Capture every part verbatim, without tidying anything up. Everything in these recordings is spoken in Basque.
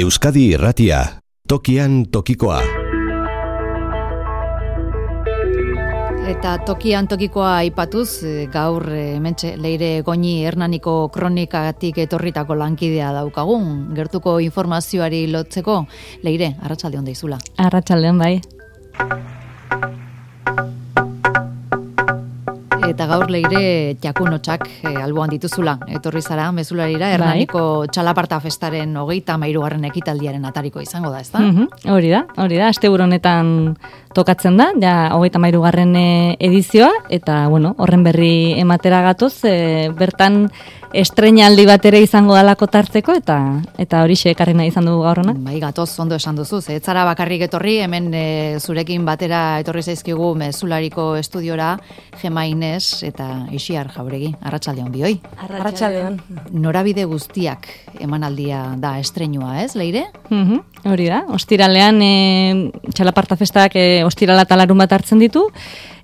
Euskadi Irratia, tokian tokikoa. Eta tokian tokikoa aipatuz, gaur hementxe Leire Goñi Hernaniko kronikagatik etorritako lankidea daukagun. Gertuko informazioari lotzeko, Leire, arratsalde on deizula. Arratsaldeon bai. Eta gaur Leire jakunotxak e, alboan dituzula. Etorri zara, mezularira, Hernaniko bai. Txalaparta festaren hogeita hamairugarren ekitaldiaren atariko izango da, ezta? Mm-hmm. Hori da, hori da. Asteburu honetan tokatzen da, ja hogeita hamairugarren edizioa, eta bueno, horren berri ematera gatoz, e, bertan estreinaldi bat ere izango dalako tartzeko, eta eta horixe ekarri nahi izan dugu gaur hona. Bai, gatoz, ondo esan duzu, ez zara bakarrik etorri, hemen e, zurekin batera etorri zaizkigu mezulariko estudiora, Gema Inez eta Ixiar Jauregi. Arratsaldeon bioi. Arratsaldeon. Norabide guztiak emanaldia da estreinua, ez, Leire? Mhm. Hori da. Ostiralean e, Txalaparta festak e, ostirala eta larun bat hartzen ditu,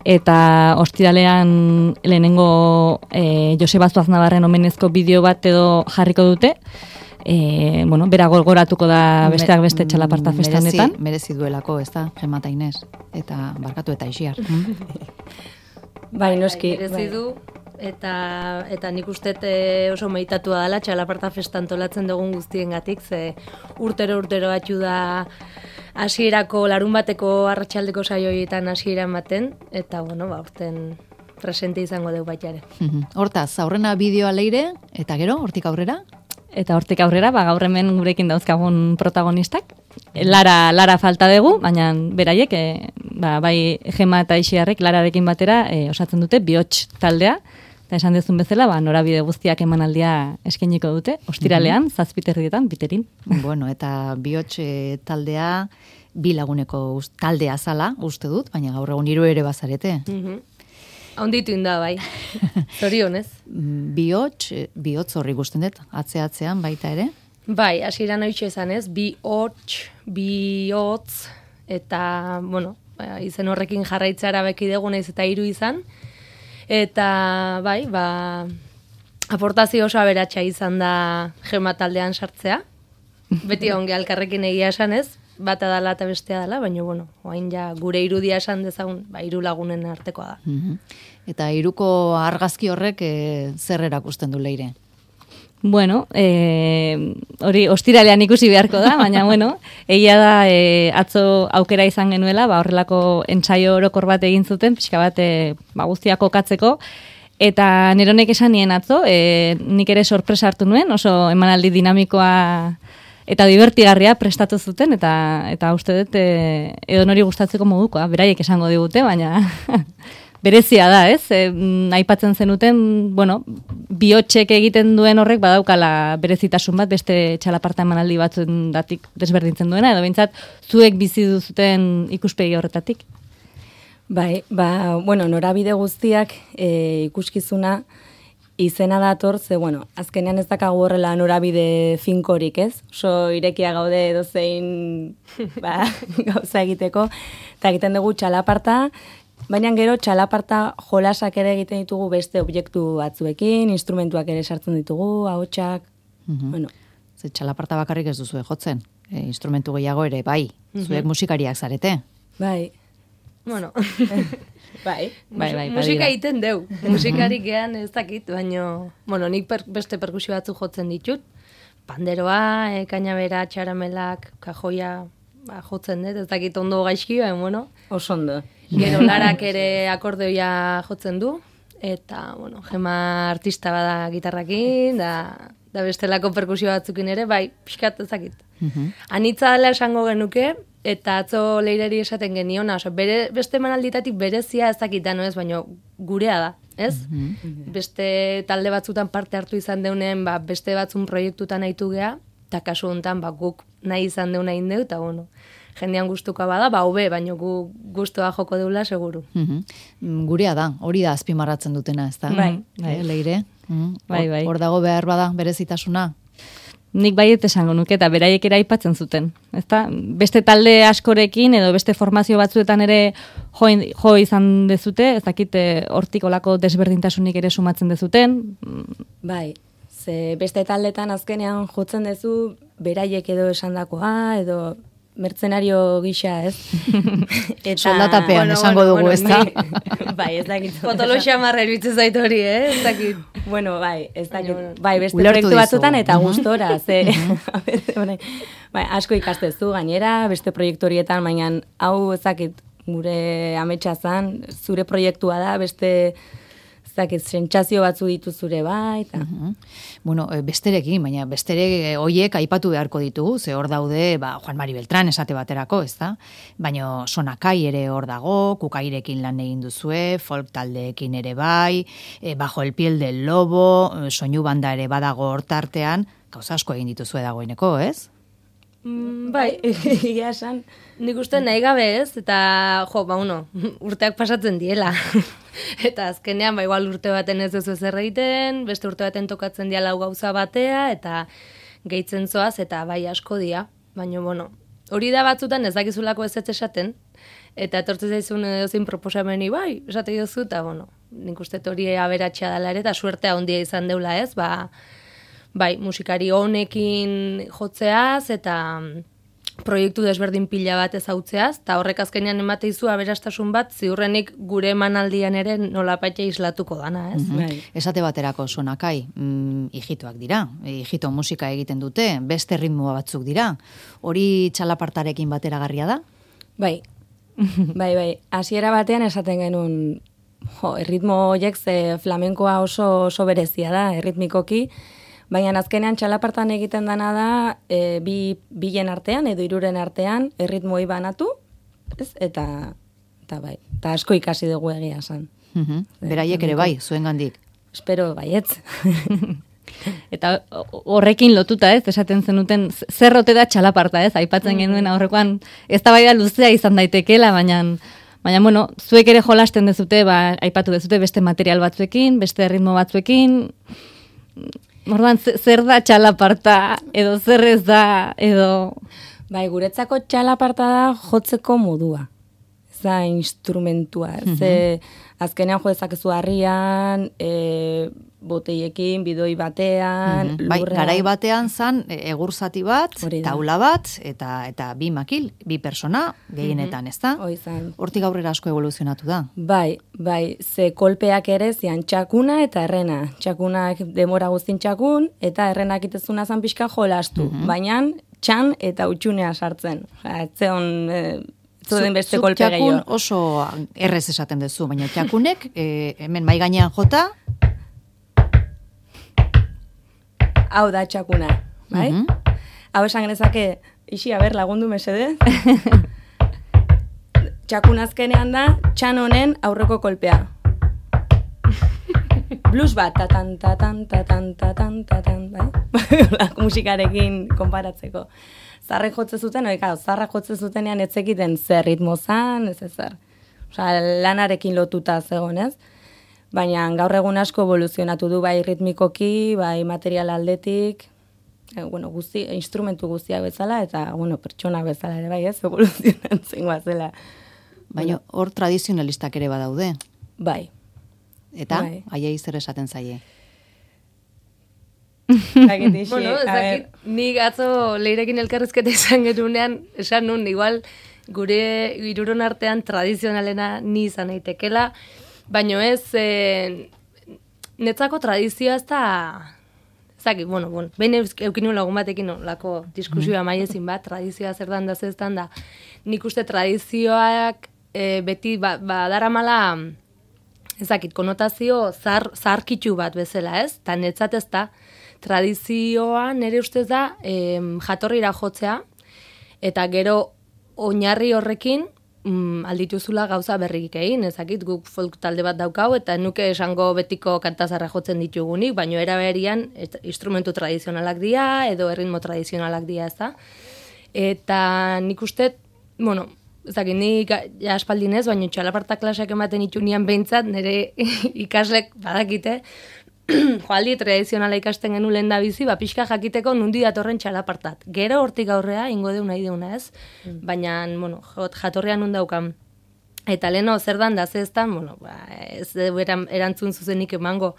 eta ostiralean lehenengo e, Joseba Zuaznabarren omenezko bideo bat edo jarriko dute. E, bueno, bera goratuko da besteak beste Txalaparta festa honetan. Merezi, merezi duelako, ez da, Gema eta Inez, eta barkatu eta Ixiar. Bai, noski. Merezi du, eta, eta nik uste oso meditatua dela Txalaparta festa antolatzen dugun guztiengatik, ze urtero urtero atxu da hasierako larun bateko arratsaldeko saioietan hasiera ematen, eta bueno, ba, urten presente izango dugu baita ere. Hortaz, aurrena bideoa Leire, eta gero, hortik aurrera? Eta hortik aurrera, ba, gaur hemen gurekin dauzkagun protagonistak. Lara, Lara falta dugu, baina beraiek, e, ba, bai Gema eta Ixiarrek Lararekin batera e, osatzen dute Bihots taldea, eta esan dezun bezala, ba, norabide guztiak emanaldia eskainiko dute, ostiralean, mm-hmm. zazpiterrietan, biterin. Bueno, eta Bihots e, taldea, bi laguneko taldea zala, uste dut, baina gaur egun hiru ere bazarete. Mm-hmm. Haunditu inda, bai. Zorionez. Bihots, Bihots horri gusten dut, atze-atzean baita ere? Bai, hasieran hoitxe esan ez, Bihots, Bihotz, eta, bueno, izen horrekin jarraitzara beki dugu naiz eta hiru izan, eta, bai, ba, aportazio oso aberatsa izan da Gema taldean sartzea, beti onge alkarrekin egia esan ez, bata dala eta bestea dala, baina, bueno, oain ja gure irudia esan dezagun, ba, hiru lagunen artekoa da. Mm-hmm. Eta hiruko argazki horrek e, zer erakusten du Leire? Bueno, e, hori ostiralean ikusi beharko da, baina, bueno, egia da e, atzo aukera izan genuela, ba, horrelako entsaio orokor bat egin zuten, pixka bat e, ba, guztiak kokatzeko, eta neronek esan nien atzo, e, nik ere sorpresa hartu nuen, oso emanaldi dinamikoa eta divertigarria prestatu zuten, eta eta uste dut e, edo nori gustatzeko modukoa, beraiek esango digute, baina berezia da, ez? E, aipatzen zenuten, bueno, Bihotsek egiten duen horrek badaukala berezitasun bat, beste Txalaparta emanaldi batzuen datik desberdintzen duena, edo behintzat zuek bizi duzuten ikuspegi horretatik. Bai, ba, bueno, norabide guztiak e, ikuskizuna izena dator, ze, bueno, azkenean ez dakagu horrela norabide finkorik, ez? Oso irekia gaude edozein ba, gauza egiteko, eta egiten dugu Txalaparta, baina gero Txalaparta jolasak ere egiten ditugu beste objektu batzuekin, instrumentuak ere sartzen ditugu, ahotsak, mm-hmm. bueno. Ze Txalaparta bakarrik ez duzue jotzen, e, instrumentu gehiago ere, bai, zuek mm-hmm. musikariak zarete. Bai. Bueno, bai, bai, bai, musika egiten deu. Musikarik gehan ez dakit, baina, bueno, nik per, beste perkusio batzu jotzen ditut. Panderoa, e, kainabera, txaramelak, kajoia, ba, jotzen dut, ez dakit ondo gaizki, baina, bueno. Oso ondo. Gero Larak ere akordeoia jotzen du, eta, bueno, Gema artista bada gitarrakin, da, da bestelako perkusio batzukin ere, bai, pixkat ez dakit. Mm-hmm. Anitza dela esango genuke, eta atzo Leireri esaten geniona, oso, bere, beste emanalditatik berezia ez dakita, no ez, baina gurea da, ez? Mm-hmm. Beste talde batzutan parte hartu izan deunen, ba, beste batzun proiektutan nahitu gea, eta kasu honetan ba, guk nahi izan deuna indeu, eta bueno, jendean gustuka bada, ba, hobe, baina gu gustoa joko deula, seguru. Mm-hmm. Gurea da, hori da azpimarratzen dutena, ez da? Bai, bai. Leire? Mm-hmm. Bai, bai. Hor dago behar bada, berezitasuna? Nik baiet esango nuke eta beraiek ere aipatzen zuten. Ezta? Beste talde askorekin edo beste formazio batzuetan ere jo, jo izan dezute, ez dakit hortik olako desberdintasunik ere sumatzen dezuten. Bai, ze beste taldetan azkenean jotzen duzu beraiek edo esandakoa edo mertzenario gisa, ez? Eta, soldatapean bueno, esango bueno, dugu, bueno, ez da? Ni, bai, ez dakit. Potolo xamarra eruditzen zait hori, eh? Ez dakit. Bueno, bai, ez dakit. Bai, beste proiektu batzutan eta gustora, ze... bai, asko ikastezu gainera, beste proiektu horietan, baina hau ez dakit gure ametsa zan, zure proiektua da, beste... Zakit, sentsazio batzu ditu zure bai, eta... Uh-huh. Bueno, besterekin, baina bestere hoiek aipatu beharko ditugu, ze hor daude, ba, Juan Mari Beltrán esate baterako, ez da? Baina Sonakai ere hor dago, Kukairekin lan egin duzue, folk taldeekin ere bai, e, Bajo el piel del lobo, soinu banda ere badago hortartean, gauza asko egin dituzue dagoeneko, ez? Mm, bai, egia esan. Nik uste nahi gabe ez, eta jo, ba, uno, urteak pasatzen diela. Eta azkenean, ba, igual urte baten ez duzu ezer egiten, beste urte baten tokatzen diala gauza batea, eta gehitzen zoaz, eta bai asko dia. Baina, bueno, hori da batzutan ez dakizulako ez ez esaten, eta etortzen zaizun edozein proposameni, bai, esate duzu, eta, bueno, nik uste hori aberatxea dela ere, eta suertea handia izan deula ez, ba, bai, musikari honekin jotzeaz, eta proiektu desberdin pila bat ezautzeaz, eta horrek azkenean emateizu aberastasun bat, ziurrenik gure emanaldian ere nolapaitea islatuko dana, ez? Mm-hmm. Esate baterako Sonakai, mm, hijitoak dira, hijito musika egiten dute, beste ritmoa batzuk dira, hori txalapartarekin bateragarria da? Bai, bai, bai, hasiera batean esaten genuen, jo, erritmo horiek ze flamenkoa oso, oso berezia da, erritmikoki, baina azkenean txalapartan egiten dana da e, bi bilen artean edo hiruren artean erritmoi banatu, ez? Eta eta bai, eta asko ikasi dugu egia esan. Uh-huh. Beraiek ere bai, zuengandik. Espero baietz. Eta horrekin lotuta, ez, esaten zenuten zer ote da txalaparta, ez? Aipatzen genuen aurrekoan eztabaida luzea izan daitekeela, baina baina bueno, zuek ere jolasten dezute, ba aipatu dezute beste material batzuekin, beste ritmo batzuekin. Orduan, zer da txalaparta, edo zer ez da, edo... Bai, guretzako txalaparta da jotzeko modua. Ez da instrumentua. Mm-hmm. Ze azkenean jo dezakezu harrian, e, boteiekin, bidoi batean, mm-hmm. Bai, garai batean zan, egur zati bat, taula bat, eta eta bi makil, bi persona, gehienetan, ez da? Oizan. Hortik aurrera asko evoluzionatu da. Bai, bai, ze kolpeak ere zian txakuna eta errena. Txakunak demora guztin txakun, eta errenak itezuna zan pixka jolastu. Mm-hmm. Baina txan eta utxunea sartzen. Etzeon... E, Zuden beste kolpe gehiago. Txakun oso errez esaten duzu, baina txakunek, e, hemen mai gainean jota... Hau da txakuna, bai? Mm-hmm. Hau esan genezake, isi, aber, lagundu mesede. Txakun azkenean da, txan honen aurreko kolpea. Blues bat, tatan, tatan, tatan, tatan, tatan, bai? Musikarekin konparatzeko. Zarrek jotze zuten, oika, zarrak jotze zutenean etzekiten zer ritmo zan, ez ezer. Osa, lanarekin lotuta zegoen, ez? Baina gaur egun asko evoluzionatu du bai ritmikoki, bai material aldetik, e, bueno, guzti, instrumentu guztiak bezala, eta, bueno, pertsona bezala ere bai, ez, evoluzionatzen guazela. Baina hor tradizionalistak ere badaude. Bai. Eta, bai. Aiei zer esaten zaie? Bueno, ezakit, ni atzo Leirekin elkarrizketa izan genunean, esan nun, igual, gure hiruron artean tradizionalena ni izan aitekela, baina ez, e, netzako tradizioa ez da, ezakit, bueno, bueno, behin eukinu lagun batekin lako diskusioa mm. maiezin bat, tradizioa zer dan da zeztan da, nik uste tradizioak e, beti ba, badaramala, ezakit, konotazio zar, zarkitxu bat bezala, ez? Ta netzat ez da, tradizioa nire ustez da em, jatorrira jotzea, eta gero oinarri horrekin mm, aldituzula gauza berrik egin, ezakit, guk folk talde bat daukau, eta nuke esango betiko kantazarra jotzen ditugunik, baino era berian instrumentu tradizionalak dira, edo erritmo tradizionalak dira, ez da? Eta nik uste, bueno, ezakit, nik ja aspaldin ez, baino txalaparta klaseak ematen itunian behintzat, nire ikaslek badakite, joaldi tradizionala ikasten genu lehen da bizi, ba, pixka jakiteko nundi datorren txalapartat. Gero hortik aurrea, ingo deu nahi deuna ez, mm. baina, bueno, jatorrean nun daukan. Eta leheno, zer dan da zeztan, bueno, ba, ez eran, erantzun zuzenik emango,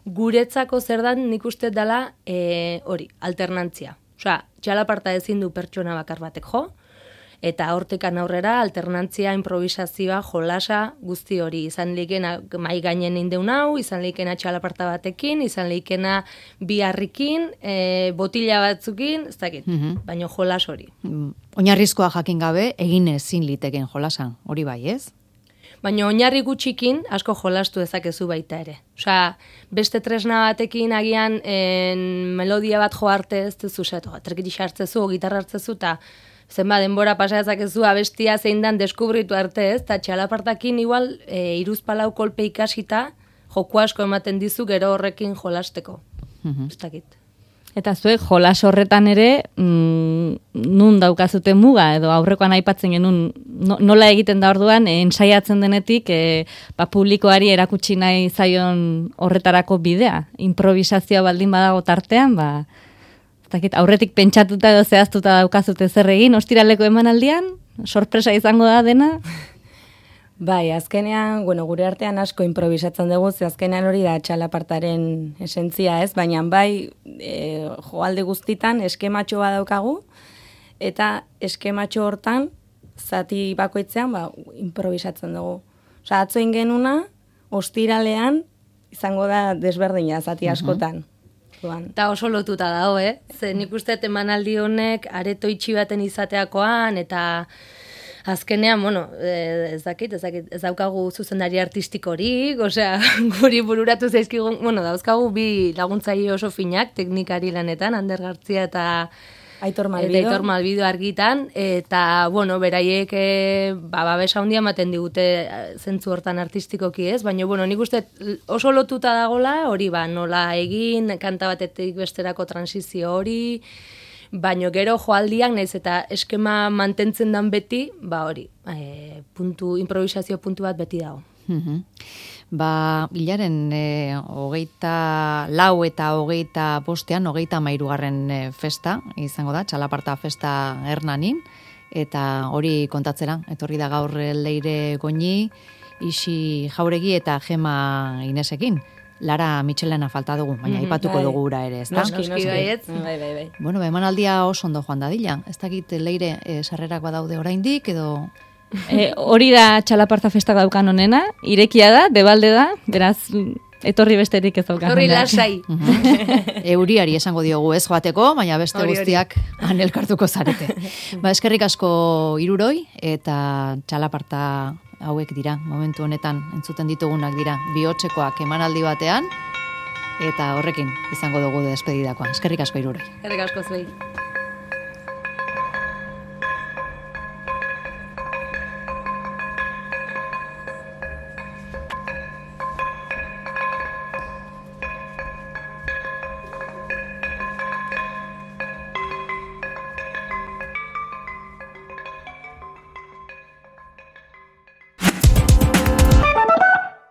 guretzako zer dan nik uste dela e, hori, alternantzia. Osea, txalaparta ezin du pertsona bakar batek jo, eta hortekan aurrera alternantzia, improvisazioa, jolasa, guzti hori. Izan leikena mai gainen indeun hau, izan leikena txalaparta batekin, izan leikena biharrikin, e, botila batzukin, ez dakit, mm-hmm. baina jolas hori. Oinarrizkoa jakin gabe, egin ezin liteken jolasan, hori bai, ez? Baina oinarri gutxikin asko jolastu dezakezu baita ere. Osea, beste tresna batekin agian en, melodia bat jo arte ez duzu zetu, trekiti sartzezu, gitarra hartzezu, eta zenba denbora pasa dezakezu abestia zein dan deskubritu arte ez, eta txalapartakin igual e, iruzpalau kolpe ikasita joku asko ematen dizu gero horrekin jolasteko. Mm-hmm. Ez dakit. Eta zuek jolas horretan ere mm, nun daukazute muga edo aurrekoan aipatzen genuen no, nola egiten da orduan e, ensaiatzen denetik e, ba, publikoari erakutsi nahi zaion horretarako bidea. Improvisazioa baldin badago tartean, ba aurretik pentsatuta edo zehaztuta daukazute zer egin, ostiraleko emanaldian, sorpresa izango da dena? Bai, azkenean, bueno, gure artean asko improvisatzen dugu, ze azkenean hori da txalapartaren esentzia ez, baina bai e, joalde guztitan eskematxo bat daukagu, eta eskematxo hortan, zati bakoitzean, ba, improvisatzen dugu. Osa, atzo ingenuna, ostiralean, izango da desberdina zati askotan. Eta oso lotuta dago, eh? Ze nik uste emanaldi honek areto itxi baten izateakoan, eta azkenean, bueno, ez dakit, ez dakit, ez daukagu zuzendari artistikorik, osea, guri bururatu zaizkigun, bueno, dauzkagu bi laguntzaile oso finak, teknikari lanetan, Ander Gartzia eta Aitor Malbido. Eta Aitor Malbido argitan, eta, bueno, beraiek e, ba, babesa handia ematen digute zentzu hortan artistikoki ez, baina, bueno, nik uste oso lotuta dagola, hori ba, nola egin, kanta batetik besterako transizio hori, baina gero joaldiak naiz eta eskema mantentzen dan beti, ba hori, e, puntu, improvisazio puntu bat beti dago. Mm-hmm. Ba, hilaren e, hogeita lau eta hogeita bostean, hogeita mairugarren e, festa, izango da, txalaparta festa Hernanin, eta hori kontatzera, etorri da gaur Leire Goñi, Isi Jauregi eta Gema Inesekin. Lara Michelena falta dugu, baina mm-hmm, aipatuko bai. Dugu ura ere, ez da? Noski, noski, baiet. Bai, bai, bai. Bueno, emanaldia oso ondo joan dadila. Ez dakit Leire e, sarrerak badaude oraindik edo... E, hori da txalaparta festak daukan honena, irekia da, debalde da, beraz, etorri besterik ez daukan. Etorri lasai. Euriari esango diogu ez joateko, baina beste ori, guztiak anelkartuko zarete. Ba, eskerrik asko hiruroi, eta txalaparta hauek dira, momentu honetan entzuten ditugunak dira, bihotzekoak emanaldi batean, eta horrekin izango dugu despedidakoa. Eskerrik asko hiruroi. Eskerrik asko zuei.